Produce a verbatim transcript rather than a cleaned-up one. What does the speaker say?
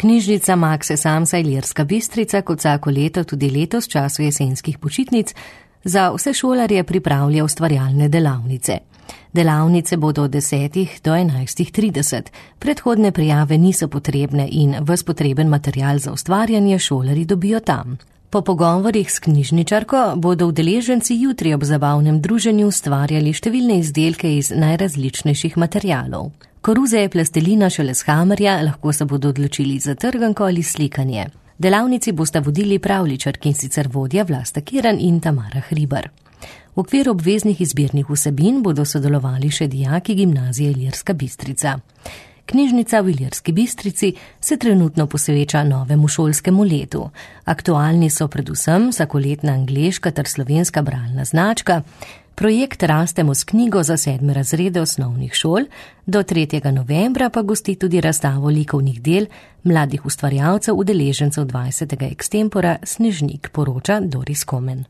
Knjižnica Makse Samsa Ilirska Bistrica kot vsako leto tudi letos v času jesenskih počitnic za vse šolarje pripravlja ustvarjalne delavnice. Delavnice bodo od desetih do enajstih trideset. Predhodne prijave niso potrebne in ves potreben material za ustvarjanje šolarji dobijo tam. Po pogovorih s knjižničarko bodo udeleženci jutri ob zabavnem druženju ustvarjali številne izdelke iz najrazličnejših materialov. Koruze je plastelina šele s hamerja, lahko se bodo odločili za trganko ali slikanje. Delavnici bosta vodili pravljičarki, in sicer vodja Vlasta Kirn in Tamara Hribar. V okviru obveznih izbirnih vsebin bodo sodelovali še dijaki gimnazije Ilirska Bistrica. Knjižnica v Ilirski Bistrici se trenutno posveča novemu šolskemu letu. Aktualni so predvsem vsakoletna angleška ter slovenska bralna značka, projekt Rastemo s knjigo za sedme razrede osnovnih šol, do tretjega novembra pa gosti tudi razstavo likovnih del mladih ustvarjalcev udeležencev dvajsetega ekstempora Snežnik, poroča Doris Komen.